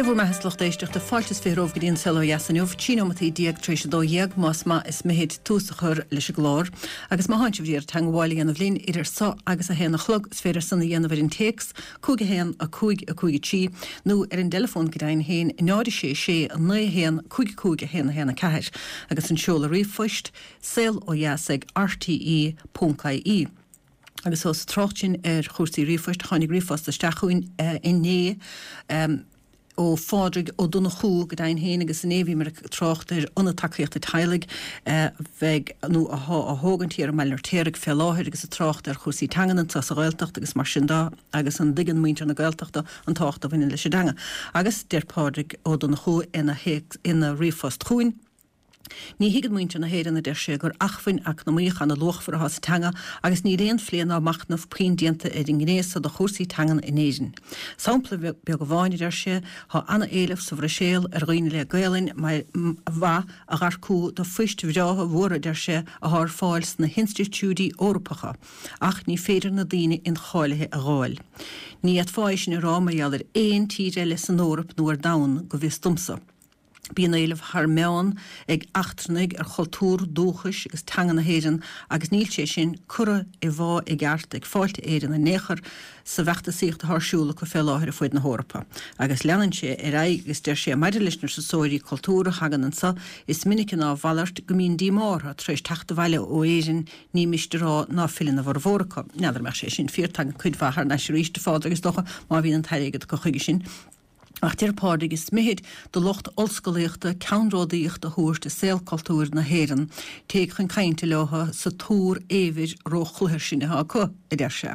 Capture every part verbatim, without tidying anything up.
Dé bhur mbeatha, a lucht éisteachta, fáilte is fiche romhaibh go dtí an Saol Ó Dheas inniu, trí nóimeataí déag tar éis a dó dhéag, más maith is mithid tús a chur leis an gclár. Agus má thánn sibh ag iarraidh teangmháil a dhéanamh linn idir so agus a haon a chlog, is féidir san a dhéanamh ar an téacs, cúig a haon, a cúig, a cúig a trí, nó ar an dteileafón go deimhin féin, náid a sé sé, a naoi a haon, cúig a cúig, a haon a haon a ceathair. Agus an seoladh ríomhphoist, saol ó dheas ag rte ponc ie. Agus ós trácht sin ar chúrsaí ríomhphoist, tháinig ríomhphost isteach chugainn inné ó Phádraig Ó Donnchú go deimhin féin agus inné bhíomar ag trácht ar Ionad Tacaíochta Teaghlaigh a bheidh nó athá á thógaint thiar i mBaile an Fheirtéaraigh fé láthair agus ag trácht ar chúrsaí teangan anseo sa Ghaeltacht agus mar sin de agus an dtuigeann muintir na Gaeltachta an tábhacht a bhaineann leis an dteanga. Agus deir Pádraig Ó Donnchú ina ina ríomhphost chugainn. Ní thuigeann muintir na hÉireann, a deir sé, gur acmhainn eacnamaíoch ana-luachmhar atá sa teanga agus níl aon phlé ná machnamh puinn déanta ar an ngné so de chúrsaí teangan in Éirinn. Sampla beag amháin, a deir sé, tá ana-éileamh sa Bhruiséil ar dhaoine le Gaelainn mhaith a dh'earcú do phoist bhreátha mhóra, a deir sé, athá ar fáil sna hinstitiúidí Eorpacha, ach ní féidir na daoine incháilithe a dh'fháil. Ní fhéadfá é sin a rá mar gheall ar aon tír eile san Eoraip nó ar domhan, go bhfios domsa. Bíonn éileamh thar meán ag eachtrannaigh ar chultúr dúchais agus teanga na hÉireann agus níl sé sin curtha i bhfáth i gceart ag Fáilte Éireann in aon chor sa bhfeachtasaíocht atá ar siúl acu fé láthair ar fuaid na hEorpa. Agus leanann sé ar aghaidh agus deir sé maidir leis na turasóirí cultúir a thagann anso, is minice ná a mhalairt go mbíonn díomá orthu tar éis teacht abhaile ó Éirinn, ní miste a rá ná filleann a bhformhór acu. N'fheadar an mbeadh sé sin fíor, tagann cuid mhaith thar n-ais arís, a Phádraig, is dócha, má bhíonn an t-airgead acu chuige sin. Ach deir Pádraig, is mithid do lucht ollscolaíochta ceannródaíocht a thabhairt i saol cultúir na hÉireann. Téigh chun cainte leo sa túr éibhir róchluthar sin atá acu, a deir sé.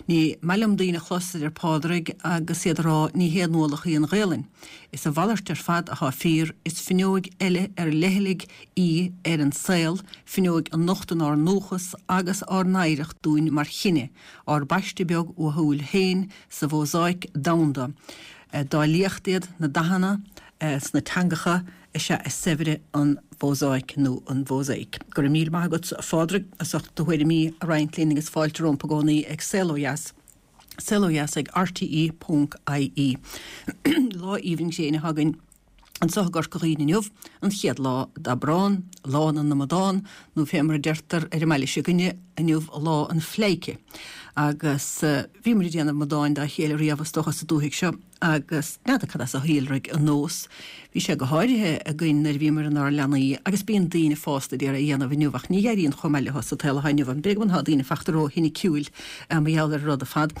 Ní maith liom daoine a chlos, a deir Pádraig, agus iad a rá ní haon ualach í an Ghaelainn. Is a mhalairt ar fad atá fíor, is fuinneoig eile ar leithligh í ar an saol, fuinneoig a nochtann ár ndúchas agus ár n-oidhreacht dúinn mar chine, ár bpaiste beag uathúil féin sa mhósáic domhanda. Dá liacht iad na dathanna sna teangacha is ea is saibhre an mhósáic nó an mhósáic. Go raibh míle maith agat, a Phádraig, as ucht do thuairimí a roinnt linn agus fáilte romp i gcónaí ag Saol Ó Dheas, saol ó dheas ag rte ponc ie. Lá aoibhinn gréine atá againn anseo i gCorca Dhuibhne inniu, an chéad lá d'Aibreán, Lá na nAmadán, nó fé mar a deirtear ar an mbaile seo againne inniu, Lá an Phleidhce. Agus bhíomar ag déanamh amadáin dá chéile riamh is dócha sa dúthaigh seo agus n'fheadar cad as a shíolraigh an nós. Bhí sé go háirithe againn nuair a bhíomar inár leanaí agus bíonn daoine fásta ag iarraidh a dhéanamh inniu ach ní éiríonn chomh maith leo sa tsaol atá inniu ann. B'fhéidir go bhfuil daoine fachta ró-shoiniciúil mar gheall ar an rud ar fad.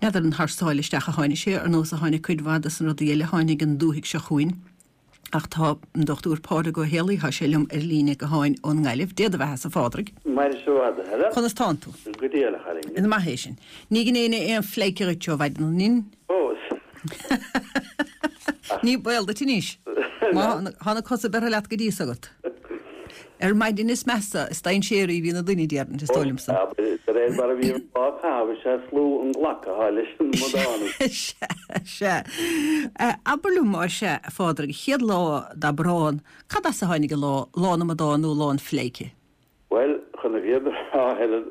N'fheadar an thar sáile isteach a tháinig sé, ar nós a tháinig cuid mhaith de na rudaí eile a tháinig an dúthaigh seo chugainn. Ach tá an Dochtúir Pádraig Ó Héalaí, tá sé liom ar líne gutháin ón nGaillimh. Dé do bheatha-sa, a Phádraig. Maire sa bhfad, a Helen. Conas tánn tú? Go diail, a chailín. Is maith é sin. Ní dhein éinne aon phleidhce dhuit ó mhaidin, an in? Fós. Ní baol duit anois. Má tá na cosa beirthe leat go dtí so agat. Ar maidin is measa, is dainséaraí a bhíonn an duine, déarfainn, is dóigh liomsa. De réir mar a bhí an lá ag caitheamh, is ea is lú an glacadh atá leis an amadánú. Sea, sea. Abair liom, más ea, a Phádraig, an chéad lá d'Aibreán, cad as a tháinig an lá, Lá na nAmadán nó Lá an Phleidhce? Bhuel, chun na fírinne a rá, Helen,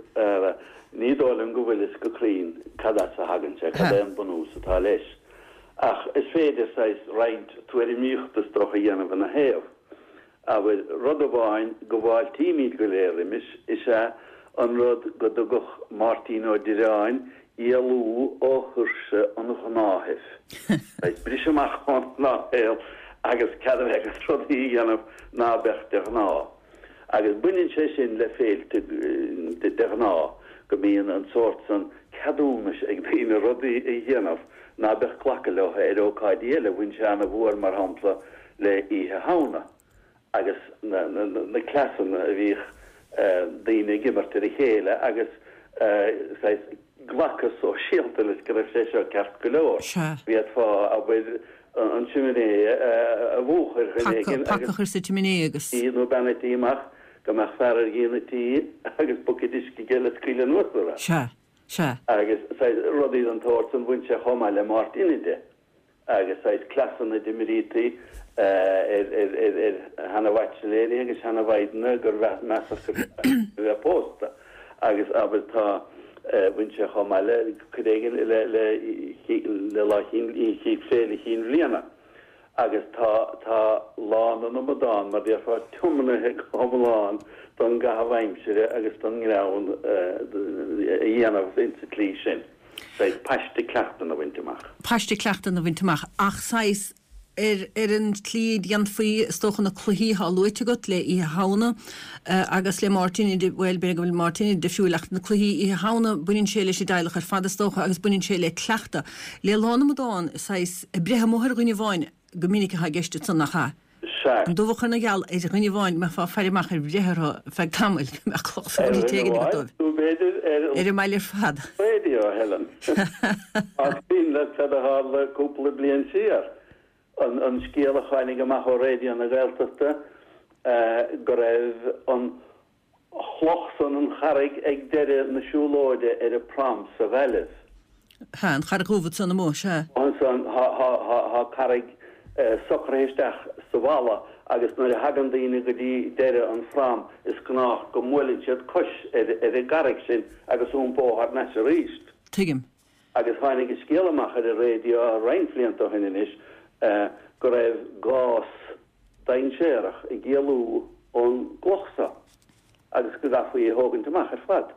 ní dóigh liom go bhfuil fhios go cruinn cad as a thagann sé, cad é an bunús atá leis. Ach is féidir saghas roinnt tuairimíochta is dócha a dhéanamh ina thaobh. Abair, rud amháin go bhfáiltímid go léir roimis is ea an rud go dtugadh Máirtín Ó Direáin éalú ó thuirse an ghnáthaimh. Saghas briseadh amach ón ngnáthshaol agus cead a bheith agat rudaí a dhéanamh ná beadh de ghnáth. Agus baineann sé sin le féilte de ghnáth, go mbíonn an sórt san ceadúnais ag daoine rudaí a dhéanamh ná beadh glacadh leo ar ócáidí eile. Bhain sé ana-mhór, mar shampla, le Oíche Shamhna agus na cleasanna a bhíodh daoine ag imirt ar a chéile agus saghas glacadh sóisialta leis go raibh sé seo ceart go leor. Bhféadfá, abair, an tsiminé a mhúchadh ar dhuine éigin agus. Paca a chur sa tsiméiné agus. Nó bean a' tí amach go mbeadh fear ar dhíon an tí agus buicéad uisce aige le scaoileadh anuas orthu. Sea. Sea. Agus saghas rudaí den tsórt san bhain sé chomh maith le Máirt Inide. agus saghas cleasanna a d'imrítí ar sheana-bhaitsiléirí agus seana-mhaighdeana gur measadh gur a bheith pósta agus abair tá bhain sé chomh maith le cuid éigin le le Lá Chinn Féile Chinn Bhliana Agus tá tá Lá na nAmadán, mar déarfá, tiomnaithe go hiomlán don gcaitheamh aimsire agus don ngreann a dhéanamh insa tslí sin. Saghas paiste cleachtann a bhaint amach. Paiste cleachtann a bhaint amach, ach saghas ar ar an tslí a dhéanfaí, is dócha, na cluichí atá luaite agat le Oíche Shamhna agus le Máirtín, bhuel, b'fhéidir go bhfuil Máirtín difriúil ach na cluichí Oíche Shamhna, baineann sé leis an dteaghlach ar fad, is dócha, agus baineann sé le cleachtadh. Le Lá na nAmadán, saghas, breith amuigh ar dhuine amháin go minic atá i gceist ansan, nach ea? Sea. An dubhach ar na geal ar dhuine amháin, go mbeifeá ag faire amach ar bhreith orthu feadh tamaill, go mbeadh cloch sa Ar bhfuil dhuine éigin agat amháin, dóibh. nó b'fhéidir ar an. Ar an mbaile ar fad. Raidió, a Helen. Más cuimhin leat cad a tharla cúpla bliain siar, an an scéal a tháinig amach ó Raidió na Gaeltachta go raibh an chloch san, an charraig ag deireadh na siúlóide ar an prom sa Ghaillimh. Sea, an charraig dhubh ansan amuigh, sea. Ansan tá carraig socraithe isteach sa bhalla agus nuair a thagann daoine go dtí deireadh an phrom is gnách go mbuaileann siad cois ar an gcarraig sin agus iompó thar n-ais arís. Tuigim. Agus tháinig an scéal amach ar an raidió roinnt blianta ó shin anois go raibh gás dainséarach ag éalú ón gcloch so agus go gcaithfí í a thógaint amach ar fad.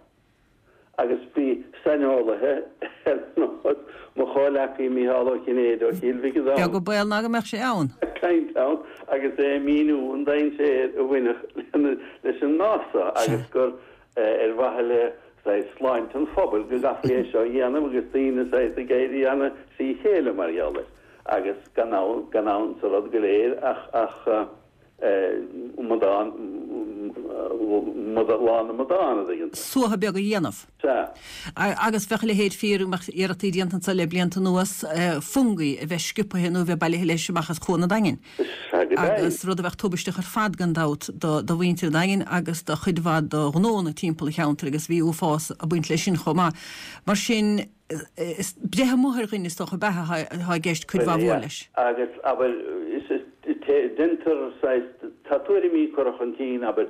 Agus bhí saineolaithe ar nós mo chomhleacaí Mícheál Ó Cinnéide ó Chill Mhic an Beag an baol ná go mbeadh sé ann. ag caint ann agus é ag míniú an dainséar a bhainfeadh leis an ngás so agus gur ar mhaithe le saghas sláinte an phobail go gcaithfí é seo a dhéanamh agus daoine saghas ag éirí ana thrí chéile mar gheall air agus gan ann gan ann sa rud go léir ach ach amadán Lá na nAmadán, a dtuigeann tú. Suaitheadh beag a dhéanamh. Sea. Agus bheadh a leithéid fíor, bheadh iarrachtaí déanta anso le blianta anuas fungaí a bheith sciobtha nó a bheith bailithe leis amach as Cuan an Daingin. Sea, go deimhin. Agus rud a bheadh tubaisteach ar fad gan dabht do mhuintir an Daingin agus do chuid mhaith de ghnónna timpeall an cheantair agus bhí uafás ag baint leis sin chomh maith. Mar sin, is breith amuigh ar dhuine is dócha ab ea atá i gceist cuid mhaith mhór leis. Agus, abair, deintear saghas, tá tuairimí curtha chun cinn, abair,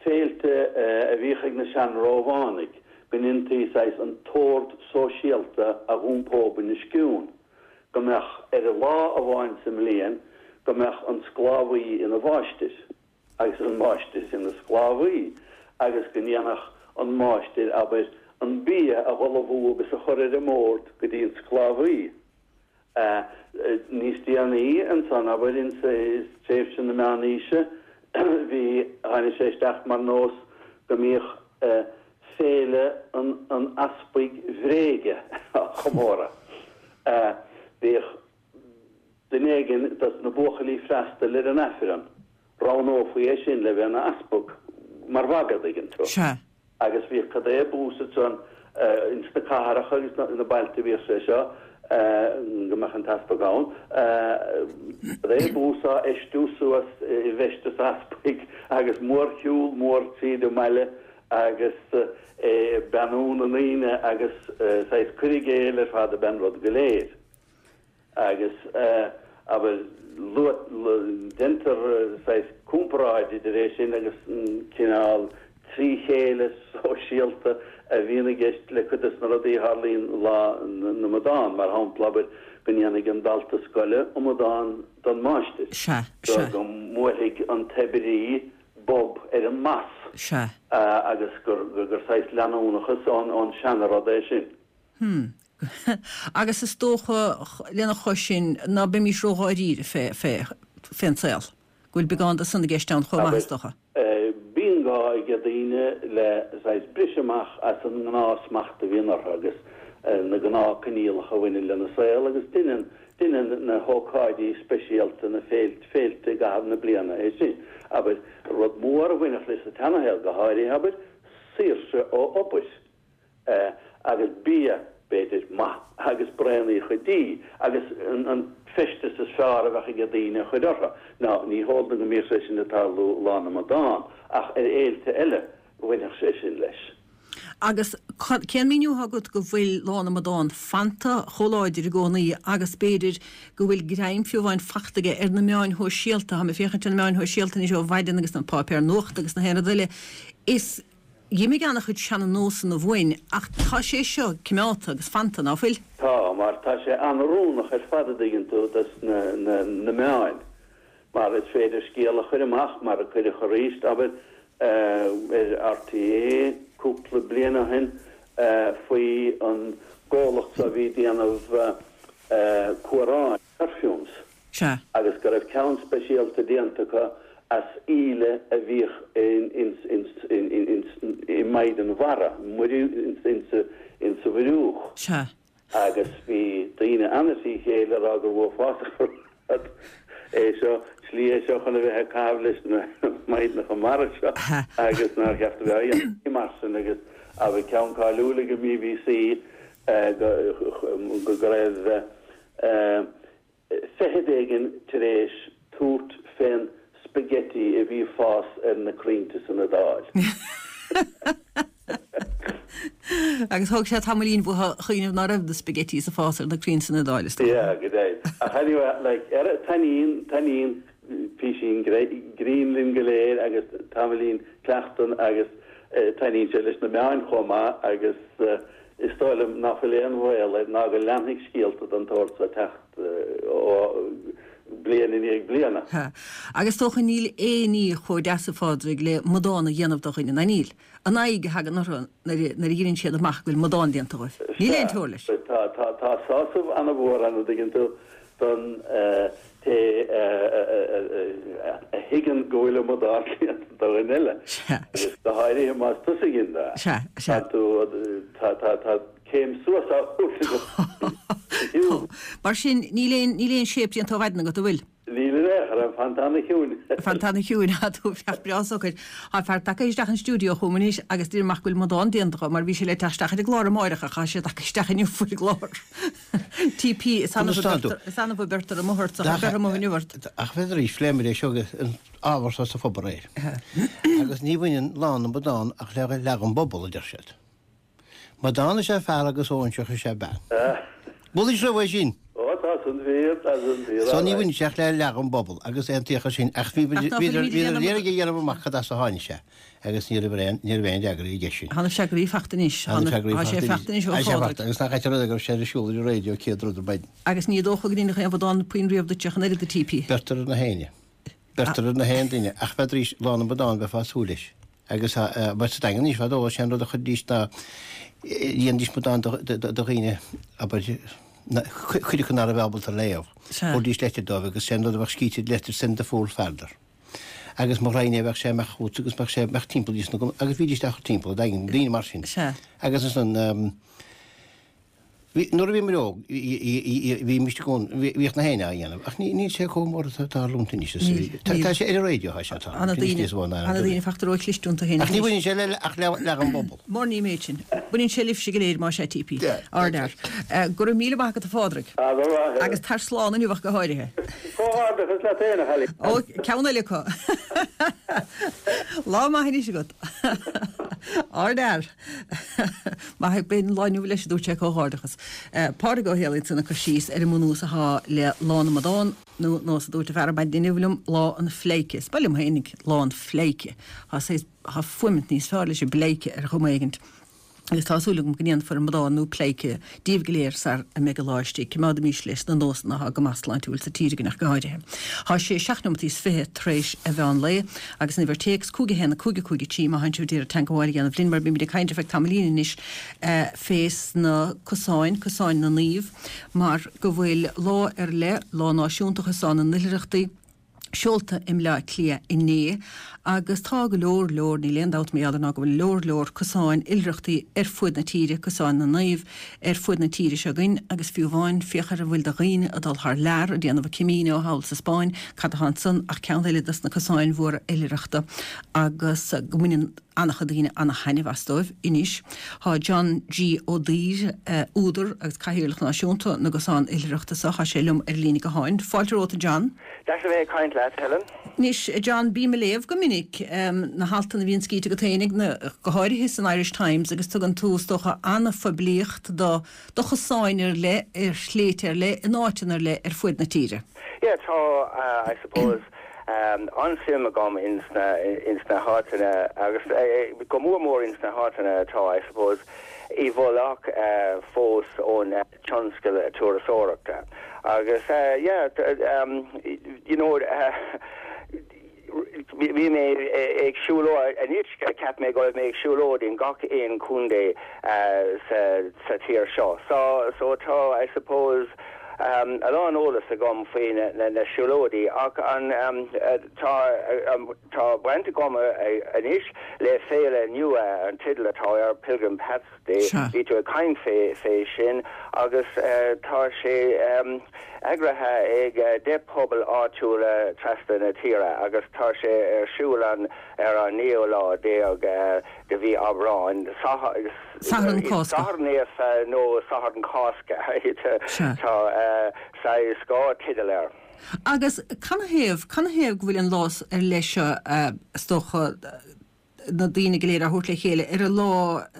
féilte a bhíodh ag na sean-Rómhánaigh, go ndéantaí saghas an t-ord sóisialta a dh'iompó bunoscionn, go mbeadh ar lá amháin sa mbliain, go mbeadh an sclábhaí ina mháistir agus an máistir ina sclábhaí agus go ndéanfadh an máistir, abair, an bia a dh'ullmhú agus a chur ar an mbord go dtí an sclábhaí. Níos déanaí ansan, abair, insa tréimhse na Meánaoise, bhí, tháinig sé isteach mar nós go mbíodh féile an an easpaig bhréige á chomóradh. Bhíodh duine éigin dos na buachaillí freastail ar an Aifreann, roghnófaí é sin le bheith ina easpag, mar mhagadh, dtuigeann tú. Sea. Agus bhíodh cad é bús ansan ins na cathracha agus na bailte bhíodh sé seo, go mbeadh an t-easpag ann, cad é bús á fheistiú suas i bhfeisteas easpaig agus mórshiúl mór tríd an mbaile agus é ag beannú na ndaoine agus saghas cur i gcéill ar fad ab ea an rud go léir. Agus, abair, deintear saghas comparáid idir é sin agus an cineál trí chéile sóisialta a bhíonn i gceist le cuid de na rudaí a tharlaíonn Lá na nAmadán, mar shampla, abair, go ndéanfaidh an dalta scoile amadán don máistir, Sea, sea. go mbuailfidh an t-oibrí bob ar an mbas, Sea. agus gur saghas leanúnachas ón seana-rud é sin. Hmm. Agus is dócha, lena chois sin, ná beimis ródháiríre fé, fé, fén saol. Go bhfuil beagán de san i gceist ann chomh maith, is dócha. Bíonn gá ag daoine le saghas briseadh amach as an ngnáthsmacht a bhíonn orthu agus na gnáthchoinníollacha a bhaineann lena saol agus deineann, deineann na hócáidí speisialta, na féilte, féilte i gcaitheamh na bliana é sin. Abair, rud mór a bhainfeadh leis sa tseanashaol, go háirithe, abair, saoirse ó obair. agus bia, b'fhéidir, maith agus braonaíocha dí agus an feisteas is fearr a bheadh ag daoine a chur orthu. Now, ní heol dom go mbíodh sé sin ag tarlú Lá na nAmadán, ach ar fhéilte eile bhainfeadh sé sin leis. Agus cén míniú atá agat go bhfuil Lá na nAmadán fanta chomh láidir i gcónaí agus b'fhéidir go bhfuil greim fiú amháin fachta aige ar na meáin shóisialta, táim ag féachaint ar na meáin shóisialta anois ó mhaidin agus na páipéir nuachta agus na haon rud eile, is D'imigh an-chuid seana-nósanna uainn ach tá sé seo coimeádta agus fanta, ná fuil? Tá, mar tá sé an-oiriúnach ar fad a dtuigeann tú dos na, na, na meáin. Mar is féidir scéal a chur amach mar a cuireadh arís, abair, ar RTÉ cúpla bliain ó shin faoi an gcomhlacht a bhí ag déanamh cumhráin, perfumes, Sea. agus go raibh ceann speisialta déanta acu as íle a bhíodh i maighdean mhara, insa mhuir. Sea. Agus bhí daoine an-trí chéile ag rá gur uafásach an rud é seo, slí é seo chun a bheith ag caitheamh leis na maighdeanacha mara seo agus nár cheart a bheith á dhéanamh mar sin agus bhí ceann cáiliúil ag an BBC go raibh feithid éigin tar éis tabhairt fén spaghetti a bhí ag fás ar na crainnte san Iodáil. Agus thóg sé tamaillín uathu cuimhneamh ná raibh na spaghettis ag fás ar na crainn san Iodáil, is dócha. Yeah, go deimhin. Ach anyway, like, ar, taitníonn, taitníonn písín grinn linn go léir agus tamaillín cleachtan agus taitníonn sé leis na meáin chomh maith agus is dóigh liom ná fuil aon bhaol air ná go leanfaidh scéalta den tsórt seo teacht ó bliain i ndiaidh bliana. Ha. Agus is dócha níl aon ní chomh deas a Phádraig le amadán a dhéanamh do dhuine, ná níl? An aghaidh a thagann orthu nuair a dheireann siad amach go bhfuil amadán déanta dhóibh. Níl aon teora leis. Tá, tá, tá sásamh an-mhór ann, an dtuigeann tú, don té a thuigeann go bhfuil amadán déanta do dhuine eile. Agus go háirithe más tusa a dhein é. Sea, sea. Tá tú, tá, tá, tá céim suas á thabhairt agat. Mar sin, níl aon, níl aon séip déanta ó mhaidin agat, an bhfuil? Níl in aon chor, ag fanacht ana-chiúin. Fanacht ana-chiúin, tá tú fear breá socair. Tá fear tagtha isteach an stiúideo chugam anois agus deir amach go bhfuil amadán déanta dho mar bhí sé le teacht isteach ar an gclár amáireach ach tá sé tagtha isteach inniu faoin gclár. TP, is annamh a bheirtear, is annamh a bheirtear amuigh ort, ach beir amuigh inniu ort. Ach bheadh arís, phléamar é seo agus an ábhar seo sa phub aréir. Agus ní bhaineann Lá na mBodán ach le leath den bpobal, a deir siad. Amadán is ea fear agus óinseach is ea bean. Bhuel, is raibh é sin. Ó, tá san fíor, tá san fíor. So ní bhaineann sé ach le leath den bpobal agus aontaíodh ar sin ach bhí bhíodar ag iarraidh a dhéanamh amach cad as a tháinig sé agus ní raibh aon ní raibh aon fhreagra aige sin. Tá na freagraí faighte anois. Tá na freagraí Tá sé faighte faighte anois ó Tá sé Phádraig. faighte agus nach ait an rud é go raibh sé ar siúl ar an raidió céad rud ar maidin. Agus ní dócha go ndéanfadh aon amadán puinn riamh duit ach an oiread a TP. Beirtear ar na héinne. Beirtear ar na haon duine ach bheadh Lá na mBodán bheifeá ag súil leis. Agus mar sa Daingean anois fadó sé an rud a chuiridís ná dhéanaidís amadán do dhaoine abair cuid acu ná raibh ábalta léamh. Chuiridís leitir dóibh agus sé an rud a bheadh scríte ar an leitir send the fool farther. Agus mo ghraidhin é bheadh sé amach chugat agus bheadh sé amach timpeall dís na agus bhídís á chur timpeall, daingean, daoine mar sin. Agus ansan Bhí, nuair a bhíomar óg, bhímist i gcónaí, bhíodh na héinne á dhéanamh, ach níl sé chomh mór is atá tarlúint anois. Tá sé ar an raidió, tá sé ag tarlúint anois níos mó ná Ana daoine fachta ró-chliste iontu féin Ach ní bhaineann sé le ach le leath an bpobal. Mura ní méid sin. Baineann sé libhse go léir, más ea, TP. Ardfhear. Go raibh míle maith agat a Phádraig. Agus tar slán inniu ach go háirithe. Comhghairdeachas leat féin, a chailín. Ó, ceann eile acu. Lá maith anois agat. Ardfhear. Maith, b'in lá inniu leis a dúirt sé comhghairdeachas. Pádraig Ó Héalaí ansan ag cur síos ar an mbunús athá le Lá na mBodán, nó nós a dúirt an fear ar maidin inniu liom, Lá an Phleidhce. Is maith liom féinig Lá an Phleidhce. Tá saghas, tá fuaimint níos fearr leis an bpleidhce ar chuma éigint. Agus tá súil agam go ndéanfar amadán nó pleidhce díobh go léir sar a mbeidh an lá istigh. Coimeádaimís leis na nósanna atá go maith sláintiúil sa tír againn ach go háirithe. Tá sé seacht nóimeataí is fiche tar éis a mheán lae agus an uimhir téacs cúig a haon a cúig a cúig a trí má thánn sibh d'iarraidh teangmháil a dhéanamh linn mar bímid ag caint ar feadh tamaillín anois fés na cosáin, cosáin na naomh, mar go bhfuil lá ar leith, Lá Náisiúnta Chosán na nOilithreachtaí, seolta i mBleá Cliath inné agus tá go leor leor, níl aon dabht mar gheall air ná go bhfuil leor leor cosáin oilithreachtaí ar fuaid na tíre, cosáin na naomh ar fuaid na tíre seo againn agus fiú amháin féach ar a bhfuil de dhaoine ag dul thar lear ag déanamh a Camino thall sa Spáinn, cad atá ansan ach ceann eile dos na cosáin mhóra oilithreachta agus go mbaineann an-chuid daoine ana-thaitneamh as dóibh anois. Tá John G. Ó Duibhir, údar agus Cathaoirleach Náisiúnta na gCosán Oilithreachta seo, tá sé liom ar líne gutháin. Fáilte romhat, a John. Deas a bheith ag caint leat, Helen. Anois, a John, bím ag léamh go minic na haltanna a bhíonn scríte agat féinig, go háirithe san Irish Times, agus tugann tú, is dócha, ana-phoiblíocht do do chosáin ar leith, ar shléibhte ar leith, in áiteanna ar leith ar fuaid na tíre. Yeah, tá, I suppose. An-suim agam ins na ins na háiteanna agus go mór mór ins na háiteanna atá I suppose i bhfolach fós ón tionscal turasóireachta. Agus yeah um, you know uh, bhí mé ag siúlóid anois cheap mé go mé ag siúlóid in gach aon chontae sa sa tír seo. So so tá I suppose um, a lán eolas agam faoi na, na, na siúlóidí ach an um, tá um, tá baint agam anois le féile nua an teideal atá ar Pilgrim Paths Day bhí tú ag caint fé fé sin agus uh, tá sé um, eagraithe ag uh, deich pobal áitiúla trasna na tíre agus tá sé ar siúl an ar an naoú lá déag uh, de mhí Aibreáin Satharn Cásca Satharn Naofa nó Satharn Cásca tá saghas dhá teideal air. Agus canathaobh canathaobh go bhfuil an lá ar leith seo is dócha na daoine go léir a thabhairt le chéile ar an lá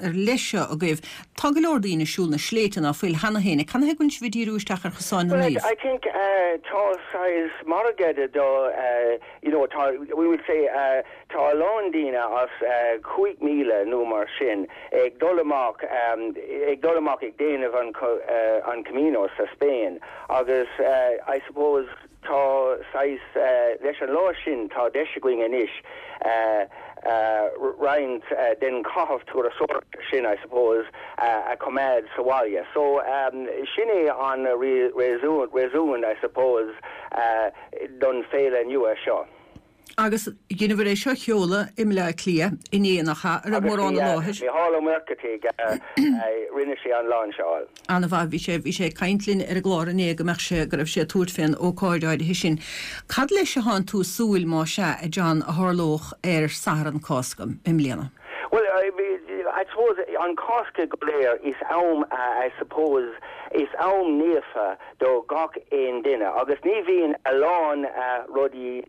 ar leith seo agaibh. Tá go leor daoine ag siúl na sléibhte ná fuil cheana féin, canathaobh go bhfuil sibh ag díriú isteach ar Chosáin na Well, Naomh. I think uh, tá saghas margadh do uh, you know tá we would say uh, tá a lán daoine as uh, cúig míle nó mar sin ag dul amach um, ag dul amach ag déanamh an uh, an Camino sa Spain agus uh, I suppose tá saghas uh, leis an lá sin tá deis againn anois uh, uh, roinnt uh, den caitheamh turasóireachta sin I suppose uh, a choimeád sa bhaile. So um, sin é an réasún réasún I suppose uh, don féile nua seo. Agus dheineabhair é seo a sheoladh i mBleá Cliath inné nach ea ar mórán na láthair. Mícheál Ó Muircheartaigh rinne sé an lainseáil. An-mhaith bhí sé bhí sé ag caint linn ar an gclár inné go mbeadh sé go raibh sé ag tabhairt fén ócáid áirithe sin. Cad leis a thánn tú ag súil má sea a John a tharlódh ar Satharn Cásca i mbliana? Well, I, I suppose an Cásca go léir is am uh, I suppose is am naofa do gach aon duine agus ní bhíonn a lán uh, rudaí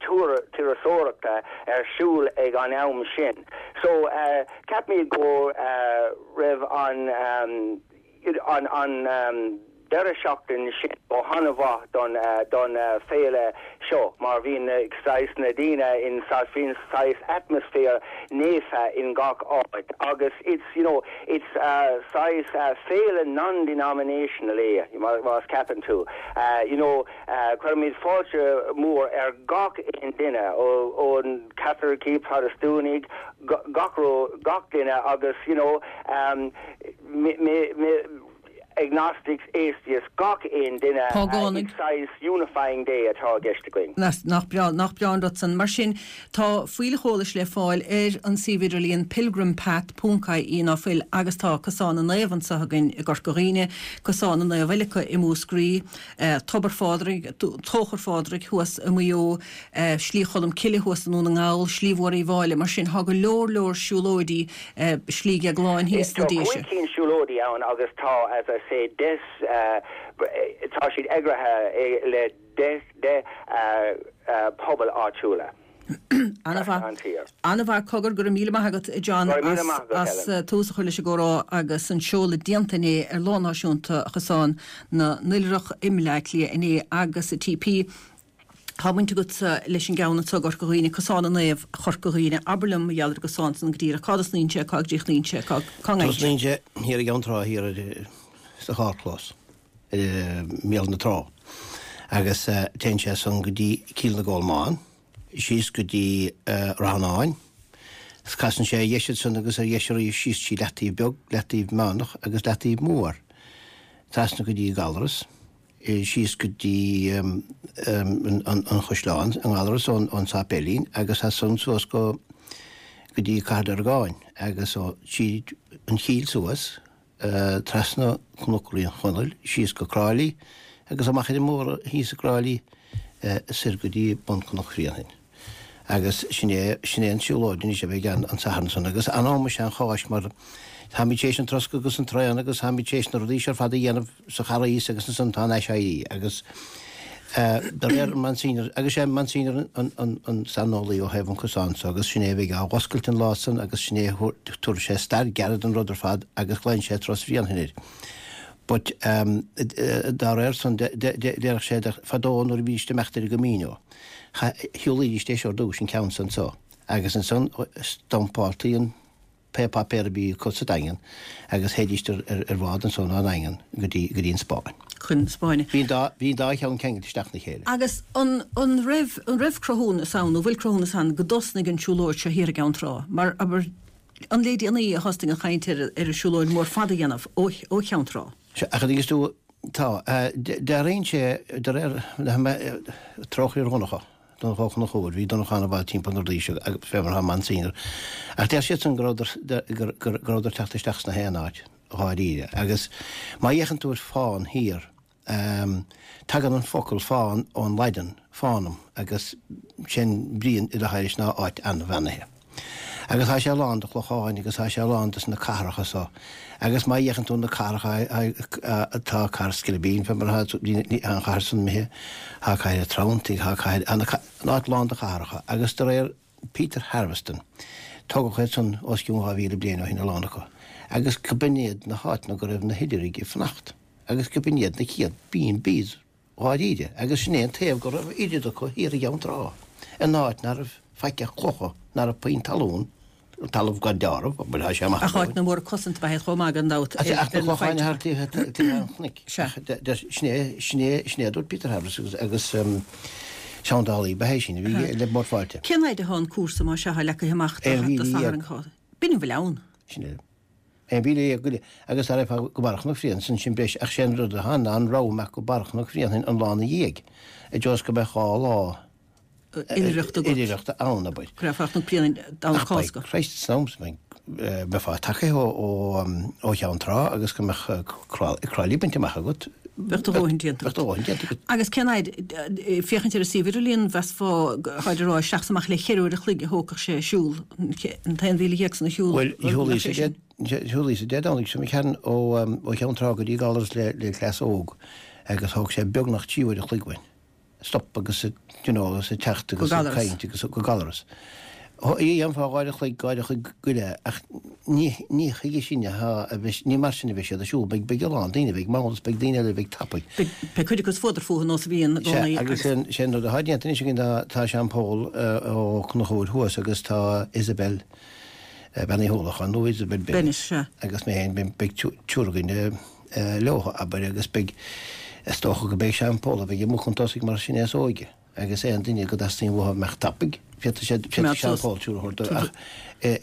turasóireachta ar siúl ag an am sin. So uh, ceapaim go uh, raibh an um, an an um, deireadh seachtain sin go han-mhaith don uh, don uh, féile seo mar bhíonn saghas na daoine in bhíonn saghas atmaisféar naofa in gach áit agus it's you know it's uh, saghas uh, féile non-denominational é más ceapann tú uh, you know uh, cuirimid fáilte mór ar gach aon duine ón Caitlicigh Protastúnaigh gach gach duine agus you know um, me, me, me, agnostics atheists gach aon duine Págánaigh. saghas unifying day atá i gceist againn. Nach breá nach breá an rud san mar sin tá fuílleach eolais le fáil ar an suíomh idirlíon pilgrimpath.ie ná fuil agus tá Cosán na Naomh anseo againn i gCorca Dhuibhne, Cosán na Naomh eile i Múscraí, eh, Tobar Phádraig, Tóchar Phádraig thuas i Maigh Eo, eh, Slí Cholm Cille thuas i nDún na nGall, Slí Mhór Uíbh Fhailí, mar sin tá go leor leor siúlóidí eh, Slí Dhéagláin thíos na Tá Déise. cúig cinn siúlóidí ann agus tá as I say deich uh, tá siad eagraithe le deich de uh, uh, pobal áitiúla. An-mhaith An tír. An-mhaith cogar go raibh míle maith agat John Go raibh míle as, maith agat, as Helen. uh, tús a chur leis an gcomhrá agus an seoladh déanta inné ar Lá Náisiúnta Chosán na nOilithreach i mBleá Cliath inné agus i TP. Tá baint agat leis an gceann anseo i gCorca Dhuibhne Cosán na Naomh Chorca Dhuibhne abair liom mar gheall ar an gcosán san go díreach cá dtosnaíonn sé cá gcríochnaíonn sé cá cá ngaid. Tosnaíonn sé thiar i gCeann Trá thiar ar, sa charrchlós ar na trá. Agus uh, téann sé san go dtí Cill na gColmán, síos go dtí uh, Ráth an Áin. Casann sé dheis san agus ar dheis arís síos trí Leataobh Beag, Leataobh Meánach agus Leataobh Mór. Trasna go dtí Gallarus, síos go dtí um, um, an, an, an Chaisleán, an Gallarus ón, ón Sáipéilín, agus as san suas go go dtí Cathair Dorgáin agus ó tríd an Chill suas uh, trasna Cnoc Raon Chonaill, síos go Cráilí agus amach ar an mbóthar thíos i gCráilí uh, soir go dtí bun Chnoc Bhréanainn. Agus sin é sin é an siúlóid anois a bheidh an an Satharn san agus an am sé an Cháisc mar táimid théis an troscadh agus an traon agus táimid théis na rudaí ar fad a dhéanamh sa Charghas agus ansan tá an aiséirí agus Uh, de réir Monsignor agus sé Monsignor an, an, an saineolaí ó thaobh an cosán so agus sin é bheidh á oscailt an lá san agus sin é tabharfaidh sé stair ghearr den rud ar fad agus glaonn sé turas Bhréanainn air. But dá réir san déarfadh sé fadó nuair a bhídís ag imeacht ar an gCamino, shiúlaidís é seo ar dtús, an ceann san so, agus ansan dumpáltaí an pé páipéar a bhí acu sa Daingean agus théidís ar bhád ansan ón nDaingean go dtí go dtí an Spáinn. Chun na Spáinne. Bhí an dá bhí an dá cheann ceangailte isteach ina chéile. Agus an an raibh an raibh cruthúnas ann nó bhfuil cruthúnas ann go dtosnaigh an tsiúlóid seo thiar i gCeann Trá? Mar abair an le déanaí a thosnaigh an chaint ar ar an siúlóid mór fada a dhéanamh ó ó Cheann Trá? Sea, ach a dtuigeann tú, tá, dealraíonn sé, de réir trócaire ar Dhonncha, Donncha Ó Conchúir, bhí Donncha an-mhaith timpeall na rudaí seo agus fé mar atá Monsignor, ach deir siadsan go rabhadar, go rabhadar ag teacht isteach sna haon áit, dháiríre. Agus má fhéachann tú ar fán thiar, tagann an focal fán ón Laidin, fanum, agus sé'n brí atá leis ná áit an-bheannaithe. Agus tá sé lán de chlocháin agus tá sé lán de na cathracha so. Agus má fhéachann tú na cathracha tá cathair Scilabeen fé mar atá an chathair san imithe, tá cathair an Treanntaigh, tá cathair, an áit lán de chathracha. Agus de réir Peter Harveston, tógadh iad san os cionn dhá mhíle bliain ó shin a lán acu. Agus go b'in iad na háiteanna go raibh na hOilithrigh ag fanacht. Agus go b'in iad na chéad B and Bs dháiríre. Agus sin é an taobh go raibh oiread acu thiar i gCeann Trá, in áit ná raibh faic ach clocha, ná raibh puinn talún, talamh gan deáramh, bhuel tá sé amach Ach áit na mór cosanta ba ea chomh maith gan dabht ar Ach na clocháin thart taobh an chnoic. Sea. Sin é, sin é, sin é a dúirt Peter Harveston agus agus seandálaí ba ea é sin a bhí le Bord Fáilte. Cén fhaid atá an cúrsa más ea leagtha amach do Aon mhíle Satharn dhéag. B'in a bhfuil ann. Sin é. Aon mhíle dhéag go leith. Agus dá raghfá go Barra Chnoc Bhréanainn, sin sin breis, ach sé an rud atá ann ná an rogha amach go Barra Chnoc Bhréanainn an lá ina dhiaidh, i dtreo is go mbeadh dhá lá oilithreachta agat. oilithreachta ann, abair. Go raghfá Cnoc Bréanainn Domhnach Ach by Cásca. Christ, san am san, bheifeá tagtha ó, ó, ó Cheann Trá agus go mbeadh Crá Lí bainte amach agat. Bheadh do dhóthain déanta Bheadh do dhóthain déanta agat. Agus cén fhaid, féachaint ar an suíomh idirlíon, mheasfá, tháid ag rá, isteach is amach le ceithre uair a chloig a thógfadh sé siúl, an t-aon mhíle dhéag san a shiúl. Bhuel, shiúlaíos-sa Dé, shiúlaíos-sa Dé Domhnaigh seo imigh tharainn ó, ó Cheann Trá go dtí Gallaras le, le cleas óg agus thóg sé beagnach trí uair a chloig uainn. Stop agus, you know, agus ag teacht agus ag caint agus go Gallaras. Dhéanfá dhá uair a chloig, dhá uair a chloig go leith, ach ní, ní chuige sin atá a bheith, ní mar sin a bheidh siad ag siúl, beidh, beidh a lán daoine, beidh mall is beidh daoine eile a bheidh tapaidh. Beidh, beidh cuid acu is fuadar fúthu nós a bhíonn i Sea, gcónaí agus agus. sé, sé an rud atá déanta anois againn ná tá Seán Pól Ó Conchúir thuas agus tá Isabel Bean Uí Uallacháin nó Isabel Bennett Bennett, sea. agus mé féin, beidh, beidh triúr againn leo, abair, agus beidh, is dócha go mbeidh Seán Pól a bheidh amuigh chun tosaigh mar sin é is óige. Agus aon duine go dteastaíonn uathu a mbeadh tapaidh, féadfaidh siad, féadfaidh Seán Pól triúr a thabhairt dó, ach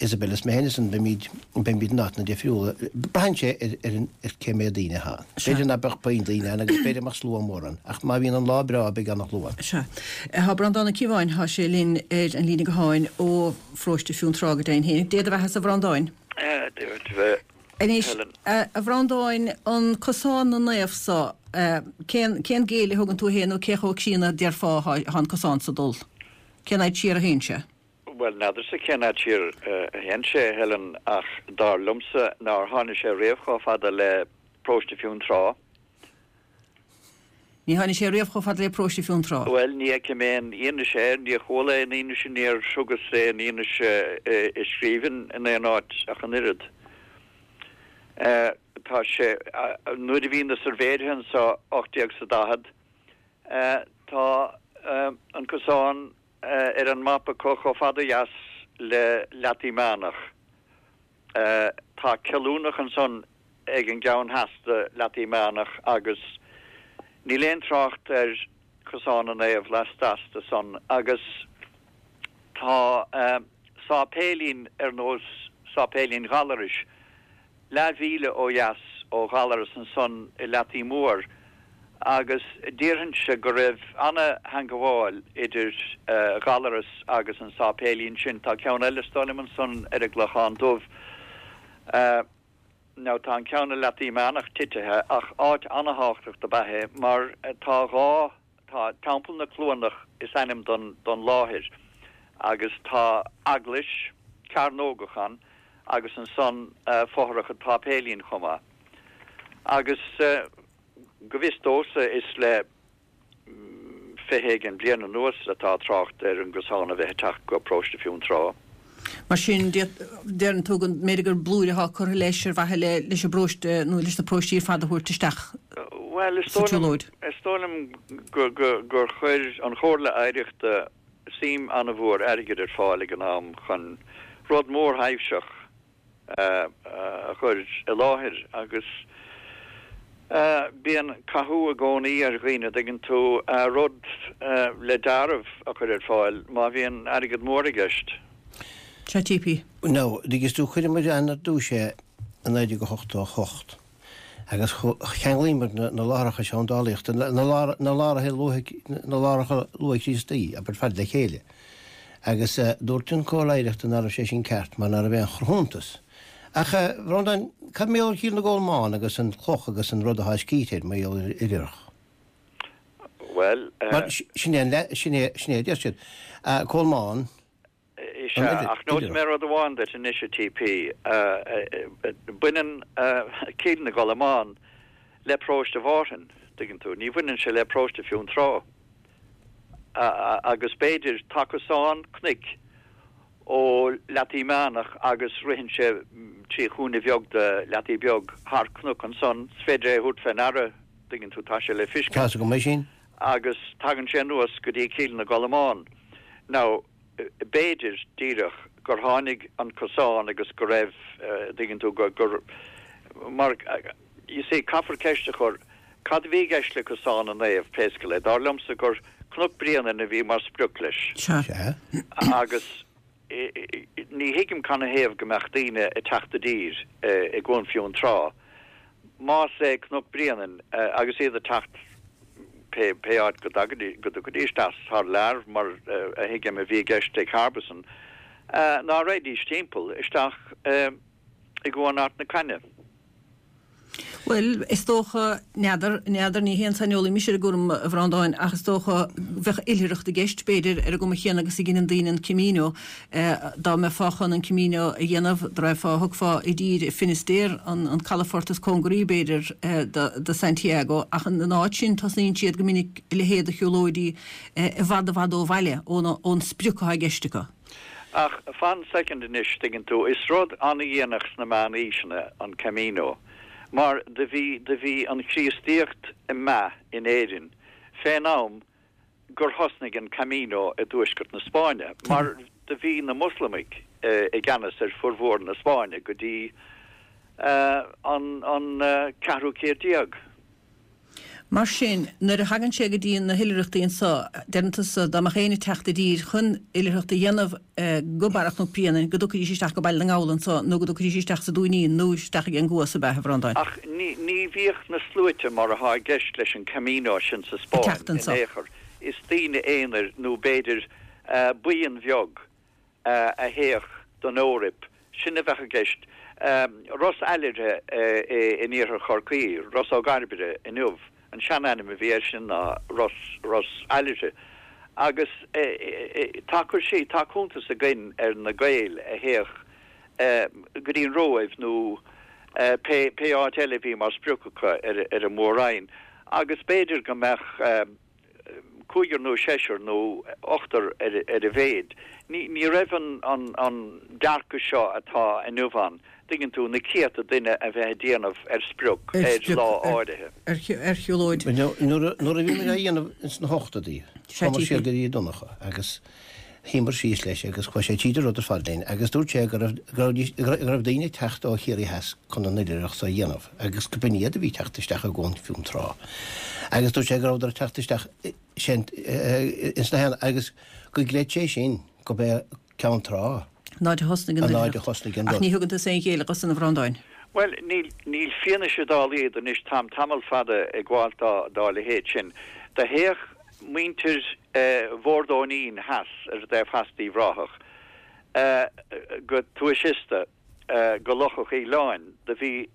Isabel is mé féin ansan, beimid, beimid in áiteanna difriúla. Braitheann sé ar, ar an, ar cé mhéad daoine atá ann. B'fhéidir ná beadh puinn daoine ann agus b'fhéidir go mbeadh slua mór ann, ach má bhíonn an lá breá beidh ana-shlua ann. Sea. Tá Breandán Ó Cíobháin, tá sé linn ar an líne gutháin ó pharóiste Fionntrá go deimhin féin. Dé do bheatha-sa a Bhreandáin. Dia duit a bheith. Anois, Helen. a Bhreandáin, an Cosán na Naomh so, cén, cén géilleadh a thugann tú fhéin nó cé chomh críonna a déarfá atá an cosán so dul? Cén fhaid siar a théann sé? Bhuel, n'fheadarsa cén fhad siar a théann sé, a Helen, ach dar liomsa nár tháinig sé riamh chomh fada le Paróiste Fionntrá. Ní tháinig sé riamh chomh fada le Paróiste Fionntrá. Bhuel, ní fheicim aon fhianaise air, níor chuala aon fhianaise, níor thugas aon fhianaise i scríbhinn in aon áit ach an oiread. Tá sé, nuair a bhí na suirbhéirithe anso ocht déag 's a daichead, tá an cosán ar an mapa acu chomh fada ó dheas le Leataí Meánach. Tá Cillúnach ansan ag an gceann theas de Leataí Meánach agus níl aon trácht ar Cosán na Naomh lasteas de san agus tá sáipéilín ar nós sáipéilín Ghallarais leathmhíle ó dheas ó Ghallaras ansan i Leataí Mór agus déarfainnse go raibh ana-theangabháil idir Ghallaras agus an sáipéilín sin. Tá ceann eile is dóigh liom ansan ar an gClochán Dubh. Now tá an ceann i Leataí Meánach titithe ach áit ana-thábhachtach do b'ea é mar tá dhá, tá Teampall na Cluanach is ainm don don láthair agus tá eaglais cearnógach ann agus ansan fothrach an tsáipéilín chomh maith. Agus go bhfios domhsa is le fiche éigin bliain anuas atá trácht ar an gcosán a bheith ag teacht go Paróiste Fionntrá. Mar sin, deireann tú go mb'fhéidir gur blúire atá curtha leis ar mhaithe le leis an bparóiste nó leis na paróistí ar fad a thabhairt isteach Bhuel, is sa dóigh liom, tsiúlóid. is dóigh liom go, go, gur chuir an Chomhairle Oidhreachta suim an-mhór airgid ar fáil ag an am chun rud mórthaibhseach a chur i láthair agus bíonn cathú i gcónaí ar dhaoine, dtuigeann tú, rud le deáramh a chur ar fáil má bhíonn airgead mór i gceist. Sea, TP. Now, dtuigeann tú, chuireamar ann ar dtús é i naoi déag a hochtó a hocht agus cheanglaíomar na láithreacha seandálaíochta, na láithreacha luath, na láithreacha luath-Chríostaí, abair, fad le chéile. Agus dúirt an Chomhairle Oidhreachta ná raibh sé sin ceart mar ná raibh aon chruthúntas. Ach, a Bhreandáin, cad mar gheall ar Chill na gColmán agus an chloch agus an rud atá scríte air mar gheall ar oilithreach? Bhuel, Mar sin é an le, sin é, sin é a deir siad. Colmán, Is an ea, oilir, ach neosfaidh oilithreach. mé rud amháin duit anois, a TP. Baineann Cill na gColmán le paróiste Mhárthain, tuigeann tú. Ní bhaineann sé le paróiste Fionntrá. Agus b'fhéidir, tá cosán cnoic ó Leataí Meánach agus ritheann sé trí chúinne bheag de Leataí Beag thar cnoc ansan, is féidir é a thabhairt fé ndeara, tuigeann tú, tá sé le Tá's fiscint. agam é sin. Agus tagann sé anuas go dtí Cill na gColmán. Now, b'fhéidir, díreach, gur tháinig an cosán agus go raibh, tuigeann tú, gur, gur, mar, you see, caithfear ceist a chur, cad a bhí i gceist le Cosán na Naomh, pé scéal é? Dar liomsa gur Cnoc Bréanainn a bhí mar sprioc leis. Sea. Sea. Agus ní thuigim canathaobh go mbeadh daoine ag teacht i dtír i gCuan Fionntrá, más é Cnoc Bréanainn, agus iad ag teacht pé pé áit go dtiocfaidís as thar lear, mar a thuigim a bhí i gceist ag Harbison, ná raghaidís timpeall isteach i gCuan Ard na Caithne. Bhuel, is dócha, n'fheadar, n'fheadar, ní haon saineolaí mise ar an gcúram, a Bhreandáin, ach is dócha, bheadh oilithreacht i gceist, b'fhéidir, ar an gcuma chéanna agus a dheineann daoine an Camino. Dá mbeifeá chun an Camino a dhéanamh, dá raghfá, thiocfá i dtír i Finisterre, an, an calafort is cóngaraí, b'fhéidir, do, do Santiago, ach ina áit sin, tosnaíonn siad go minic a leithéid de shiúlóidí i bhfad, i bhfad ó bhaile, ón, ón sprioc atá i gceist acu. Ach fan soicind anois, tuigeann tú, is rud an-dhéanach sna meánaoiseanna an Camino, mar do bhí, do bhí an Chríostaíocht ag meath in Éirinn fén am gur thosnaigh an Camino i dtuaisceart na Spáinne, mar do bhí na Moslamaigh i gceannas ar furmhór na Spáinne go dtí an, an ceathrú céad déag. Mar sin, nuair a thagann sé go dtí na hoilithreachtaí anso, deireann tusa, dá mbeadh éinne ag teacht i dtír chun oilithreacht a dhéanamh go Barra Chnoc Bréanainn, go dtiocfaidís isteach go Baile na nGall anso, nó go dtiocfaidís isteach sa Dúinín, nó isteach ag an gCuas, ab ea, a Bhreandáin? Ach ní, ní bhíodh na sluaite mar athá i gceist leis an Camino sin sa Ag Spáinn teacht in anso. aon chor. Is daoine aonair nó b'fhéidir buíon bheag a théadh don Eoraip, sin a bheadh i gceist. Ros Oilithre in iarthar Chorcaí, Ros Ó gCairbre inniu, an seanainm a bhí air sin ná Ros, Ros Oilithre. Agus tá cur sí, tá cuntas againn ar na Gaeil a théadh go dtí an Róimh nó pé, pé áit eile a bhí mar sprioc acu ar, ar an Mhór-Roinn. Agus b'fhéidir go mbeadh. cúigear nó seisear nó ochtar ar a mhéid. Ní raibh an dearcadh seo atá inniu ann, tuigeann tú, na céadta duine a bheith ag déanamh ar sprioc ar lá áirithe. Ar shiúlóid. Nuair a bhí muid á dhéanamh ins na hochtóidí, chuamar siar go dtí Donncha agus shuíomar síos leis agus chuaigh sé tríd an rud ar fad linn agus dúirt sé go raibh go raibh daoine ag teacht ó Chiarraí Theas chun an oilithreacht so a dhéanamh agus go b'in iad a bhí ag teacht isteach i gCuan Fionntrá agus dúirt sé go rabhadar ag teacht isteach sin ins na haon agus go gcreid sé sin go b'é Ceann Trá An áit a thosnaigh an an áit a oilithreacht. thosnaigh an Ach rud. ní thugann tusa aon ghéilleadh dó san a Bhreandáin. Bhuel, níl, níl fianaise dá laghad anois, táim tamall fada ag gabháilt dá, dá leithéid sin. Do théadh muintir Bhord Óinín theas ar an dtaobh theas d'Uíbh Ráthach go Tuais Iosta, go Loch a' Choileáin. Do bhí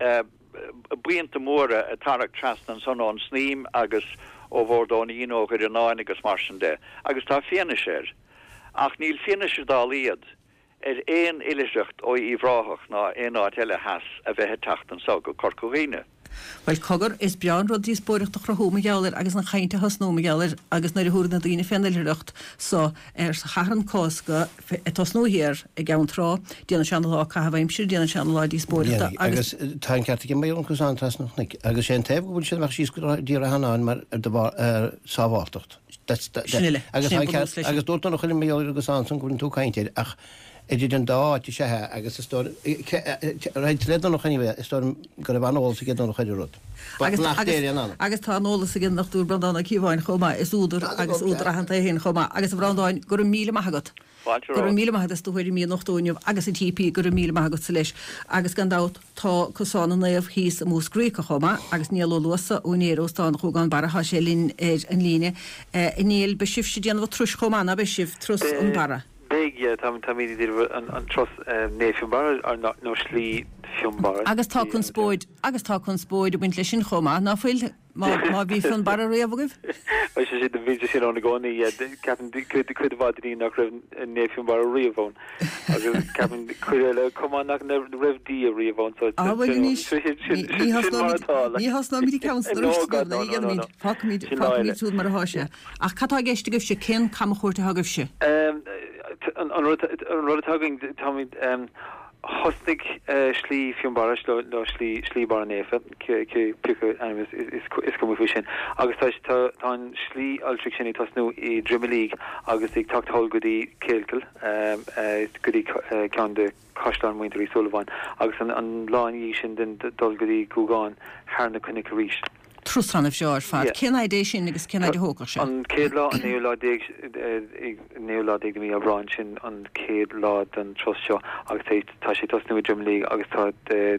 buíonta móra ag tarrac trasna ansan ón Snaidhm agus ó Bhord Óinín, ó Dhoireannáin agus mar sin de, agus tá fianaise air. Ach níl fianaise dá laghad ar aon oilithreacht ó Uíbh Ráthach ná aon áit eile theas a bheith ag teacht anso go Corca Dhuibhne. Bhuel cogar, is breá an rud díospóireacht a chruthú mar gheall air agus an chaint a thosnú mar gheall air agus nuair a thabharfaidh na daoine fén oilithreacht so ar Shatharn Cásca ag tosnú thiar i gCeann Trá, déanann sé ana-lá caitheamh aimsire, déanann sé ana-lá díospóireachta agus. Agus tá an ceart aige mar gheall ar an cosán trasna an chnoic agus sé an taobh go bhfuil siad amach síos go dtí Ráth Fhearnáin mar de bharr sábháltacht. Sin uile. Agus Sin tá an bunús ceart leis. agus dúirt Donncha liom mar gheall ar an gcosán san go bhfuil tú ag caint air ach idir an dá áit is ea é agus is dóigh roinnt le Donncha anyway is dóigh liom go raibh an-eolas aige Donncha ar an rud. Agus Nach agus déirí an anam. agus tá an eolas ag an nDochtúir Breandán Ó Cíobháin chomh maith, is údar agus údar aitheanta é féin chomh maith. Agus a Bhreandáin, go raibh míle maith agat. Fáilte Go raibh romhat. míle maith agat as do thuairimí a nochtadh inniu agus an TP, go raibh míle maith agatsa leis. Agus gan dabht tá Cosán na Naomh thíos i Múscraí acu chomh maith agus Niall Ó Luasa, úinéir Óstán Ghúgán Barra, tá sé linn ar an líne. A Néill, beidh sibhse ag déanamh an turais chomh maith, ná beidh sibh, turas an Barra? Beidh, yeah, tá, táimid ag déanamh an, an turas Naomh Fionnbarra nó, nó Slí Fionnbarra. Agus tá conspóid, agus tá conspóid ag baint leis sin chomh maith, ná fuil? Má, má bhí Fionnbarra riamh agaibh? Bhuel, sé sin, bhí sé sin ann i gcónaí, yeah, ceapaim cuid, cuid mhaith de dhaoine nach raibh Naomh Fionnbarra riamh ann. Agus ceapaim cuid eile chomh maith nach raibh Dia riamh ann, so Ah, bhuel sin, anois, sin, sin, ní, ní sin, sin mar thosnóimid, atá, like. ní thosnóimid ag caint No, arís, God, no, no, ní no, no, dhéanfaimid, no. fágfaimid, Sin lá fágfaimid eile. siúd mar atá sé. Ach cad tá i gceist agaibhse, cén camchuairt atá agaibhse? Um, an, an rud, an rud atá againn, táimid, um, thosnaigh uh, Slí Fionnbarra nó slí slí Barra Naofa pé ainm is, is, is, is cuma faoi sin. Agus tá, tá, tá an slí oilithreach sin ag tosnú i Droim Lig agus ag teacht thall go dtí Kealkill um, uh, go dtí uh, ceann de caisleáin Muintir Uí Súilleabháin agus an, an lá ina dhiaidh sin den dul go dtí Gúgán thar na cnoic arís. Turas an-bhreá ar fad. Yeah. Cén fhad é sin agus cén fhad a thógfadh sé? An chéad lá an naoú lá déag naoú lá déag de mí Aibreáin sin an chéad lá den turas seo agus tá tá sé tosnú i Droim Lig agus tá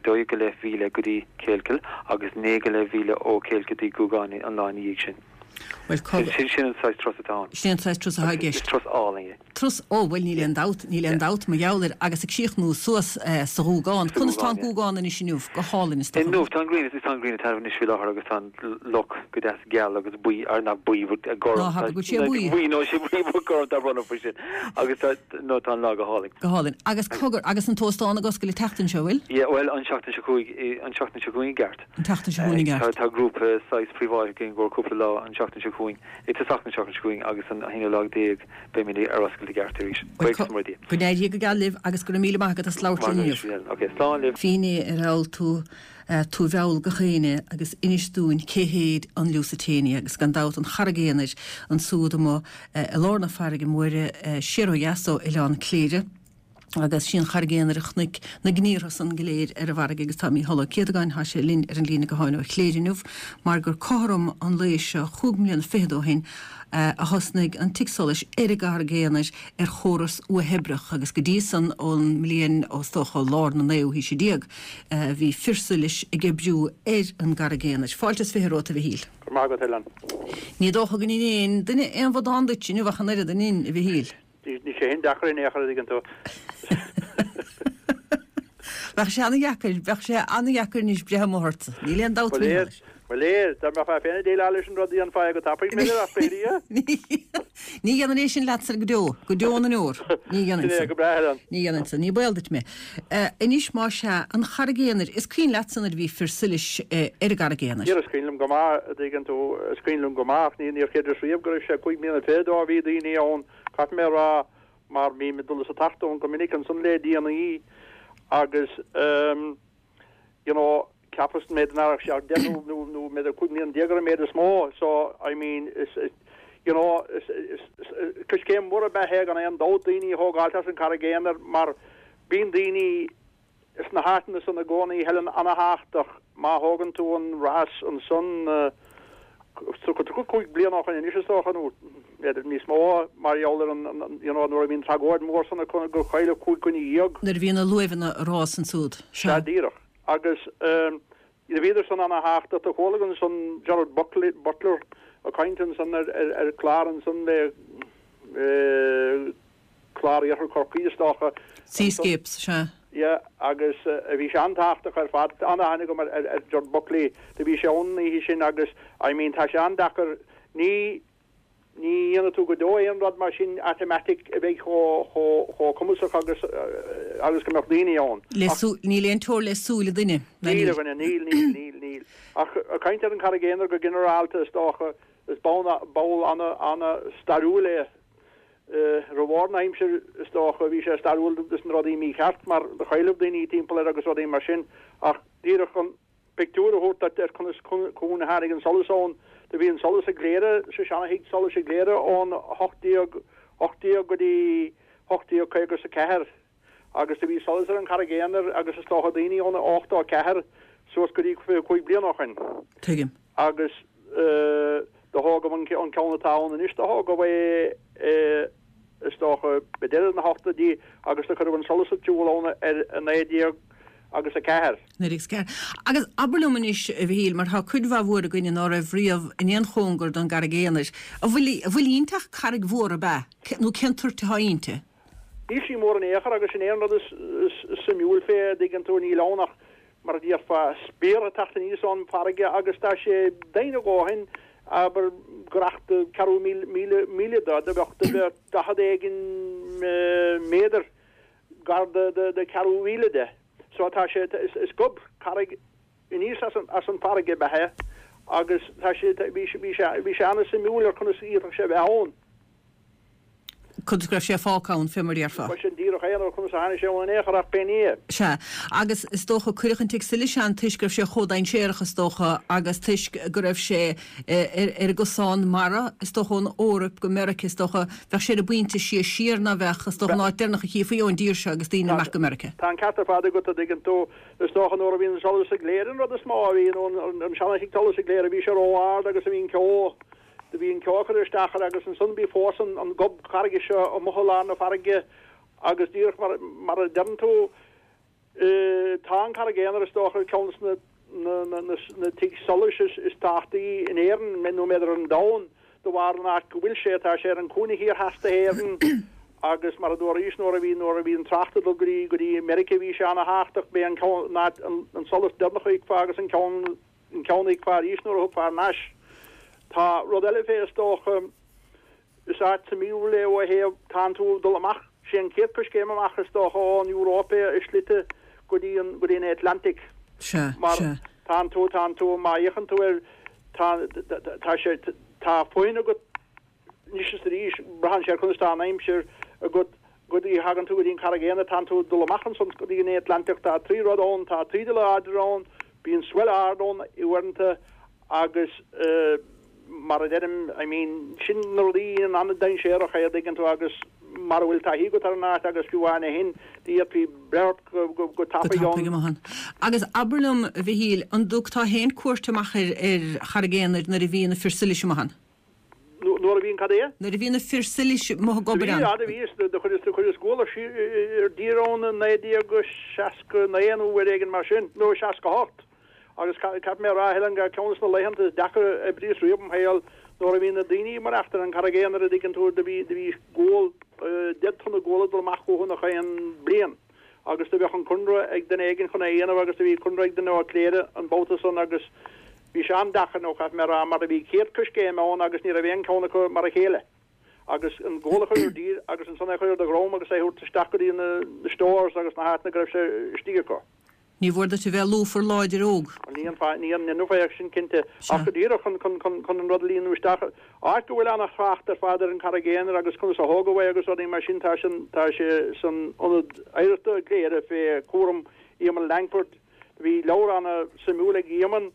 dó go leith mhíle go dtí Kealkill agus naoi go leith mhíle ó Kealkill go dtí Gúgán an lá ina dhiaidh sin. Bhuel, Sin sin sin an saghas turas atá ann. Sin an saghas turas atá i Is gceist. turas álainn é. Turas ó bhuel níl aon dabht, níl aon dabht mar gheall air agus ag críochnú suas eh, sa Ghúgán. Sa Conas tá an Ghúgán, yeah. Gúgán anois inniu go hálainn is dócha. Inniu tá an ghrian is tá an ghrian ag taitneamh anois faoi láthair agus tá an loch go deas geal agus buí ar nach buí gorm. Ná habair go bhfuil sé buí. Buí nó sé buí gorm tá bronnadh faoi sin. Agus tá nó tá an lá go hálainn. Go hálainn. Agus cogar agus an t-óstán ag oscailt an tseachtain seo bhfuil? Yeah, well an seachtain seo chugainn an seachtain seo chugainn i gceart. An tseachtain seo chugainn i Tá gceart. tá grúpa saghas príobháideach againn go cúpla lá an seachtain seo chugainn. I tosach na seachtain seo chugainn agus an haonú lá déag beimid ar oscailt i gceart arís. Bhuel, Buíochas mór Dia. Go n-éirí go geal libh agus go raibh míle maith agat as labhairt linn inniu. Ok, slán libh. Fíní ar fheall tú eh, tú bheall go chéine agus inis dúinn cé hiad an Lusitania agus gan dabht an charraig aonair ansúd amuigh eh, i lár na farraige móire eh, siar ó dheas ó Oileán Cléire. agus sin charraig aonair a chonaic na gníortha san go léir ar an bhfarraige agus tá Mícheál Ó Céadagáin tá sé linn ar an líne gutháin ó Chléire inniu mar gur cothrom an lae seo chúig mbliana fichead ó shin eh, a thosnaigh an tigh solais ar an gCarraig Aonair ar chóras uathoibríoch agus go dtí san ón mbliain is dócha lár na naoú haoise déag eh, bhí fir solais ag oibriú ar an gCarraig Aonair. Fáilte is fiche romhat a Mhichíl. Go maith agat Helen. Ní dócha go ndéanann duine aon bhradán duit inniu ach an oiread an in a Mhichíl. Ní sé hin deacair in aon chor tú. Bheadh sé an-deacair, bheadh sé an-deacair níos breithe mórta. Níl aon dabht Well Well léir, dá mbeifeá féin ag déileáil leis an rud an fáig go tapaidh mé ach féidir. Ní dhéanfainn é sin leatsa go deo, go deo na ndeor. Ní dhéanfainn Sin é, go breá Helen. Ní dhéanfainn san, ní baol duit mé. Uh, Anois má sea an Charraig Aonair, is cuimhin leatsa nuair a bhí fir solais uh, ar an gCarraig Aonair. Is cuimhin liom go maith a dtuigeann tú is cuimhin liom go maith ní níor chreideas riamh go raibh sé cúig mbliana fichead ó bhí daoine ann caithfidh mé rá mar bhí mé dul is ag teacht ann go minic ansan le déanaí agus um, you know cheapas méid nach sé deich nó nó nó méid cúig mbliana déag ar an méid is mó so I mean is is you know is is coiscéim mhór ab ea gan aon dabht daoine a thógáil as an Charraig Aonair mar bíonn daoine is na háiteanna san i gcónaí Helen an-tábhachtach má thógann tú an rás ansan uh, cúig bliana ó shin anois is dócha nó b'fhéidir níos mó mar gheall ar an an- you know nuair a bhíonn tragóid mór san go chailleadh cúig dhuine dhéag Nuair a bhí na luaimheanna ag rás ansúd. Sea díreach agus um, bhíodar san an-tábhachtach a chuala ansan Gerard Buckley Butler ag caint ansan ar ar, ar chlár ansan le eh, clár Iarthar Chorcaí is dócha Seascapes sea. Ja, agus uh, bhí sé an-tábhachtach ar fad an-aithne agam ar, ar, ar Gerard Buckley do bhí sé ann oíche sin agus I mean tá sé an-deacair ní ní dhéanfaidh tú go deo aon rud mar sin automatic a bheidh chomh cumasach agus agus go mbeadh daoine ann. Le níl aon teora le súile duine. Níl, a dhuine, níl, níl, níl, níl. Ach ag caint ar an Charraig Aonair go ginearálta is dócha, is ball ball ana ana stairiúil é. Roimh ár n-aimsir is dócha bhí sé stairiúil dos na rudaí mícheart mar do chailleadh daoine timpeall air agus rudaí mar sin ach díreach chun pictiúr a thabhairt duit ar conas conas a tháinig an solas ann. Do bhí an solas i gCléire, sa seana-thigh solais i gCléire ón hocht déag ocht déag go dtí hocht déag caoga is a ceathair agus do bhí solas ar an Charraig Aonair agus is dócha daoine ón ochtó a ceathair suas go dtí fiche cúig bliana ó shoin. Tuigim. Agus do thógadh an ceann atá ann anois, do thógadh é is dócha i deireadh na hochtóidí agus do cuireadh an solas ar siúl ann ar a naoi déag agus a ceathair. Naoi déag is a ceathair. Agus abair liom anois, a Mhichíl, mar tá cuid mhaith mhór againne ná raibh riamh in aon chóngar don gCarraig Aonair, an bhfuil, an bhfuil inti ach carraig mhór ab ea? Nó cén toirt atá inti? Níl sí mór in aon chor agus sin é an rud is suimiúil fé, a dtuigeann tú, níl ann ach, mar a déarfá, spear ag teacht aníos ón bhfarraige agus tá sé doimhin a dhóthain, abair, gaireacht do ceathrú míle, míle, míle de, do bheadh, do bheadh daichead éigin méadar gar do, do, do ceathrú mhíle de. So tá sé, is, is gob carraig aníos as an, as an bhfarraige ab ea é agus tá sé, bhí sé, bhí sé, bhí sé an-suimiúil ar conas a d'fhéadfadh sé a bheith ann. Conas go raibh sé fágtha ann, fé mar a déarfá. Bhuel, sin díreach é, nó conas a tháinig sé ann in aon chor, ach pé ní é. Sea. Agus is dócha, cuireadh an tigh solais ann toisc go raibh sé chomh dainséarach, is dócha, agus toisc go raibh sé ar an gcosán mara, is dócha, ón Eoraip go Meirice, is dócha. Bheadh sé ar an bpointe is sia siar ná bheadh, is dócha, an áit deireanach a chífí ón dtír seo agus daoine amach go Meirice. Tá an ceart ar fad agat, a dtuigeann tú. Is dócha nuair a bhí an solas i gCléire an rud is mó a bhí, nó an seana-thigh solais i gCléire, bhí sé ró-ard agus a bhí an ceo, Do bhí an ceo curtha isteach air agus ansan bhí fós an gob carraige seo amuigh i lár na farraige agus díreach mar mar a deireann tú tá an Carraig Aonair is dócha ar ceann de na na na na tigh solais is is tábhachtaí in Éirinn nó b'fhéidir ar an domhan de bharr an áit go bhfuil sé tá sé ar an cúinne thiar theas de hÉirinn agus mar a dúraís nuair a bhí nuair a bhí an trácht ag dul go dtí go dtí Meirice bhí sé ana thábhachtach b'é an ceann an an solas deireanach a fheicfeá agus an ceann an ceann a fheicfeá arís nuair a thiocfá thar n-ais. Tá rud eile fé is dócha, is áit suimiúil é ó thaobh, tánn tú ag dul amach, sé an chéad coiscéim amach is dócha ón Euróip é i slite go dtí an, go dtí an Atlantic. Sea, Mar sea. tánn tú, tánn tú, má fhéachann tú air, tá, tá sé, tá fáinne agat Anois is arís, braitheann sé ar conas tá an aimsir agat go dtí thagann tú go dtí an Charraig Aonair, tánn tú ag dul amach ansan go dtí an Atlantach, tá trí rud ann, tá taoide láidir ann, bíonn swell ard ann uaireanta agus mar a deirim, I mean, sin na rudaí a dhéanann an-dainséarach é, a dtuigeann tú, agus mara bhfuil taithí agat ar an áit agus fiú amháin é shin, d'fhéadfaí breith ort go, go, go Go tapaidh tapaidh ann. amach ann. Agus abair liom, a Mhichíl, an dtugtá féin cuairt amach ar, ar Charraig Aonair nuair a bhí na fir solais amach ann? Nuair a bhí an cad é? Nuair a bhí na fir solais amuigh ag Do obair bhí, ann. do bhí, is do chuireas, do chuireas gual ar dtír ann i naoi déag seasca naoi nó uair éigin mar sin, nó seasca hocht. Agus caithfidh mé a rá, Helen, gur ceann de na laethanta is deacra a oibríos riamh im shaol, nuair a bhí na daoine ag maireachtáil ar an Charraig Aonair, a dtuigeann tú, do bhí, do bhí gual, deich dtonna gual ag dul amach chucu nach aon bliain. Agus do bheadh an conradh ag duine éigin chun é a dhéanamh agus do bhí conradh ag duine ó Chléire an babhta san agus bhí sé an-deacair nó caithfidh mé a rá mar a bhí céad coiscéim ann agus ní raibh aon ceann acu mar a chéile. Agus an gual a chur ar dtír agus ansan é a chur ar do dhroim agus é a thabhairt isteach go dtí na stores agus na háiteanna go raibh sé istigh acu. Ní mhór duit a bheith lúfar láidir óg. Ní an fáth, ní an inniu é sin cinnte, Sea. ach go díreach chun, chun, chun, chun an rud a líonadh isteach. Áit go bhfuil ana-thrácht ar fad ar an Charraig Aonair agus conas a thógadh é agus rudaí mar sin, tá sin, tá sé san Ionad Oidhreachta i gCléire fé chúram Éamonn Langford. Bhí leabhar ana-suimiúil ag Éamonn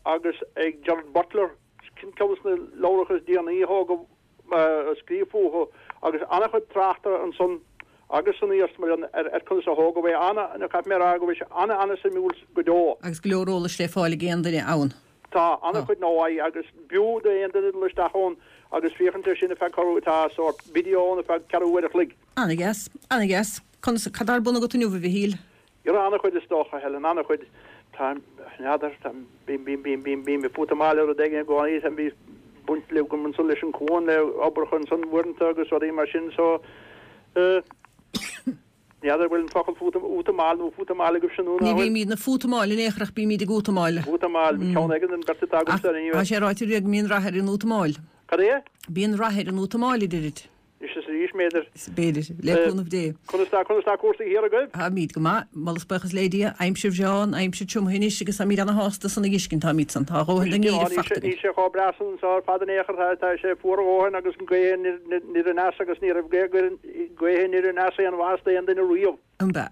agus ag Gerard Butler, ceann de na leabhracha is déanaí a thógadh, a scríobh fúthu agus an-chuid tráchta ansan agus san iarsmalann ar ar conas a thógadh é. Ana, caithfidh mé a rá go bhfuil sé ana, ana-suimiúil go deo. Agus go leor eolais le fáil ag aon duine ann. Tá, Tá. an-chuid nó agus b'fhiú d'aon duine dul isteach ann agus féachaint air sin ar feadh corradh, tá sórt video ann ar feadh ceathrú uair a chloig. Ana-dheas, ana-dheas. Conas, cad tá ar bun agat inniu, a Mhichíl? Dhera, an-chuid is dócha, Helen, an-chuid. Tá, n'fheadar, tá, bím, bím, bím, bím, bím ag útamáil ar rud éigin i gcónaí, tá, bhí baint le agam ansan leis an gcuan, le oibreacha ansan uaireanta agus rudaí mar sin, so, eh, n'fheadar bhfuil an focal fútam, útamáil nó fútamáil agaibhse nó Ní ná fuil? bhímid ag fútamáil in aon chor ach bímid ag útamáil. Útamáil, ceann éigin den bheirt atá Ach agamsa tá anyway. sé ráite riamh go mbíonn rath ar an útamáil. Cad é? Bíonn rath ar an útamáil, a deirid. Anois is arís, b'fhéidir. B'fhéidir, le cúnamh Dé. Conas tá, conas tá cúrsaí thiar agaibh? Táimid go maith, moladh is buíochas le Dia. Aimsir bhreá, an aimsir tirim anois agus táimid ana-shásta san a dh'fheiscint, táimid san. Tá a dhóthain den ngeimhreadh fachta againn. Níl sé chomh breá san anseo ar fad in aon chor, tá, tá sé fuar a dhóthain agus an ghaoth aniar aneas agus ní raibh gaoth aniar aneas aon mhaitheas d'aon duine riamh. An b'ea?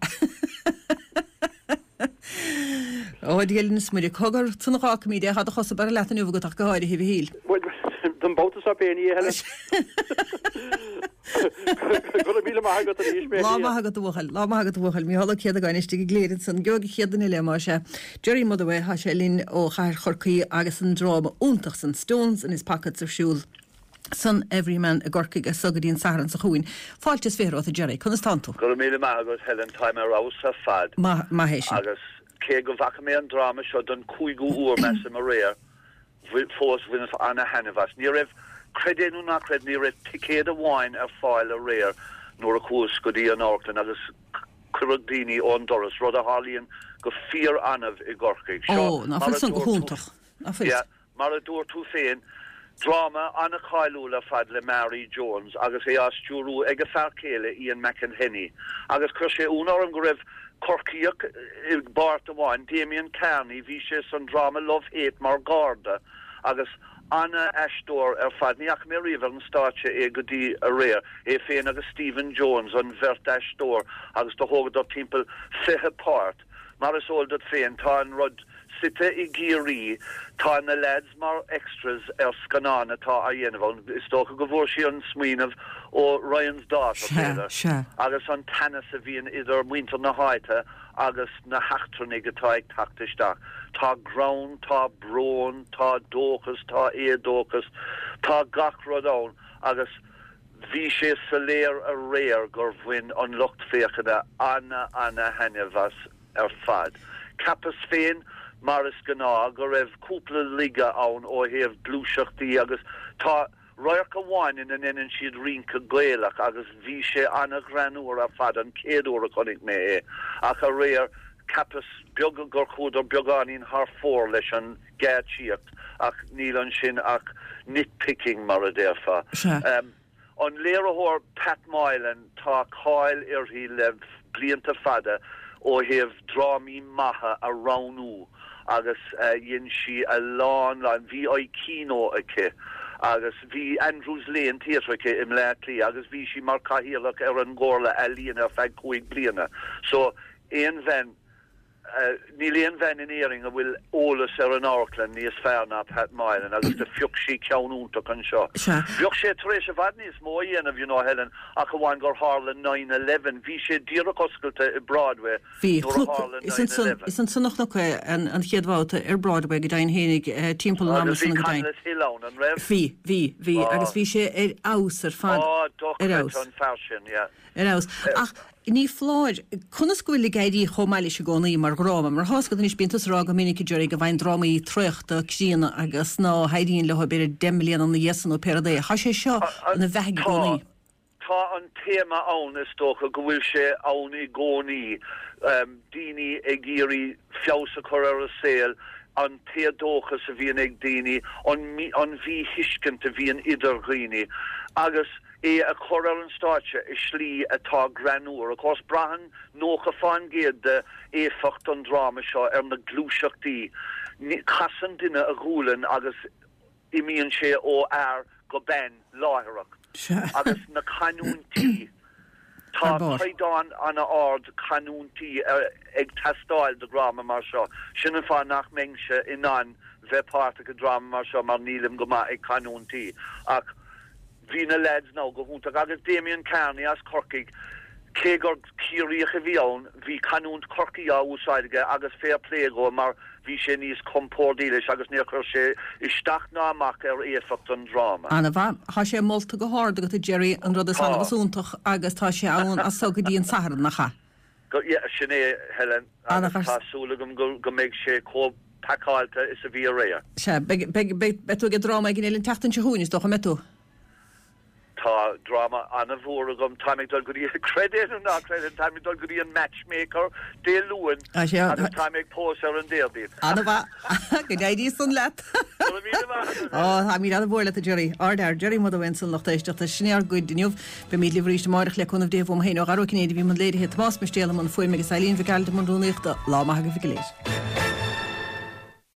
Ó, a Dhia linn is Muire, cogar, san a dh'fhágfaimid é, tá do chosa beirthe leat inniu agat ach go háirithe, a Mhichíl. Bhuel, don babhta seo féin, a Helen. Go raibh míle maith agat arís, Lá maith agat, a bhuachaill. Lá maith agat, a bhuachaill. Mícheál Ó Céadagáin istigh i gCléire ansan. Gheobhaidh an chéad duine eile, más ea. Gerry Motherway, tá sé linn ó chathair Chorcaí agus an dráma iontach san, Stones in his Pockets ar siúl. san Everyman i gCorcaigh as so go dtí an Satharn seo chugainn. Fáilte is fiche romhat a Gerry, conas tánn tú? Go raibh míle maith agat Helen, táim ar fheabhas ar fad. Maith, maith é sin. Agus cé go bhfaca mé an dráma seo don cúigiú uair measaim aréir, fós bhaineas ana-thaitneamh as. Ní raibh, creid é nó ná creid, ní raibh ticéad amháin ar fáil aréir nuair a chuas go dtí an amharclann agus cuireadh daoine ón doras, rud a tharlaíonn go fíor-annamh i gCorcaigh. Seo, Ó, ná mar fuil a san go dúirt tú, hiontach. Ná fuil. yeah. Mar a dúirt tú féin, dráma an-cháiliúil ar fad le Mary Jones agus é á stiúrú ag a fear céile Ian McElhinney. Agus chuir sé ionadh orm go raibh Corcaíoch i bpáirt amháin, Damien Kearney, bhí sé san dráma Love Hate mar Gharda agus an-aisteoir ar fad. Ní fhaca mé riamh ar an stáitse é go dtí aréir. É féin agus Stephen Jones an bheirt aisteoir agus do thógadar timpeall fiche páirt. Mar is eol duit féin, tá an rud suite i gCiarraí, tá na leaids mar extras ar scannán atá á dhéanamh ann, is dócha go bhfuair sí an smaoineamh ó Ryan's Daughter, Sea, b'fhéidir, sea. agus an teannas a bhíonn idir muintir na háite agus na heachtrannaigh atá ag teacht isteach. Tá greann, tá brón, tá dóchas, tá éadóchas, tá gach rud ann agus bhí sé soiléir aréir gur bhain an lucht féachana ana-ana-thaitneamh as. ar fad. Cheapas féin, mar is gnáth, go raibh cúpla laige ann ó thaobh gluaiseachtaí agus tá radharc amháin ina ndeineann siad rince Gaelach agus bhí sé ana-ghreannmhar ar fad an chéad uair a chonaic mé é ach aréir cheapas beag gur chuadar beagáinín thar fóir leis an ggeáitsíocht ach níl ansin ach nitpicking mar a déarfá. Sea. An léiritheoir Pat Moylan, tá cáil uirthi le blianta fada ó thaobh drámaí maithe a roghnú agus dhein sí a lán, lán, bhí Kino aici agus bhí Andrews Lane Theatre aici i mBleá Cliath agus bhí sí mar chathaoirleach ar an gComhairle Ealaíon ar feadh cúig bliana. So aon bhean. Níl aon bhean in Éirinn a bhfuil eolas ar an amharclann níos fearr ná Pat Moylan agus do phioc sí ceann iontach anseo. Sea. Bheadh sé tar éis i bhfad níos mó a dhéanamh, you know, Helen, ach amháin gur tharla nine eleven. Bhí sé díreach oscailte i Broadway Bhí. nuair a Chonac, tharla is nine ansan, eleven. is ansan a chonac é an, an chéad bhabhta ar Broadway go deimhin fhéinig, timpeall an ama Agus bhí san go deimhin. Conleth Hill ann, an raibh? Bhí, bhí, bhí, Á. agus bhí sé ar fheabhas ar fad, Á, ar dochreidte fheabhas. an fear sin, yeah. Ar fheabhas. Ach ní foláir, conas go bhfuil ag éirí chomh maith leis i gcónaí mar dhráma? Mar tá's agat anois, bíonn tusa ag rá go minic, a Gerry, go bhfaigheann drámaí traochta, críonna agus ná héiríonn leo b'fhéidir deich mbliana ina dhiaidh san nó pé rud é. Tá sé seo ina bheathaidh i Tá, gcónaí. tá an téama ann, is dócha go bhfuil sé ann i gcónaí, daoine ag iarraidh feabhas a chur ar a saol, an t-éadóchas a bhíonn ag daoine, an an mhíthuiscint a bhíonn idir dhaoine agus, é a chur ar an stáitse i slí atá greannmhar. Of course, braitheann nócha fán gcéad de éifeacht an dráma seo ar na gluaiseachtaí. Casann duine a ghualainn agus imíonn sé ó fhear go bean láithreach. Agus na canúintí. Tá caighdeán an-ard canúintí ag teastáil do dhráma mar seo. Sin an fáth nach mbeinnse in ann bheith páirteach i dráma mar seo mar nílim go maith ag canúintí. Ach. Bhí na leaids now go hiontach agus Damien Kearney as Corcaigh, cé gur Ciarraíoch a bhí ann, bhí canúint Chorcaí á úsáid aige agus fair play dhó mar bhí sé níos compórdaí leis agus níor chuir sé isteach ná amach ar éifeacht an dráma. Ana-mhaith. Tá sé molta go hard agat a Gerry, an rud is annamh Tá. is iontach agus tá sé ann as so go dtí an Satharn, nach ea? Go, yeah, sin é, Helen, agus Ana-mhaith. tá súil agam go, go mbeidh sé chomh pacáilte is a bhí aréir. Sea, beidh, beidh, beidh, beidh tú ag dráma éigin eile an tseachtain seo chugainn, is dócha, an mbeidh tú? Tá dráma an-mhór agam, táim ag dul go dtí, creid é nó ná creid é, táim ag dul go dtí an Matchmaker Dé Luain agus táim ag pósadh ar an Déardaoin. An-mhaith. Go n-éirí san leat. Go raibh míle maith agat. Ó, táimid an-mhór leat, a Jerry. Ardfhear, Jerry Motherway ansan, lucht éisteachta. Sin é ár gcuid inniu. Beimid libh arís amárach le cúnamh Dé uaim féin Ó Dara Ó Cinnéide a bhí i mbun léirithe, Tomás Mistéal i mbun fuaime agus Eileen Mhic Gearailt i mbun rúnaíochta. Lá maith agaibh go léir.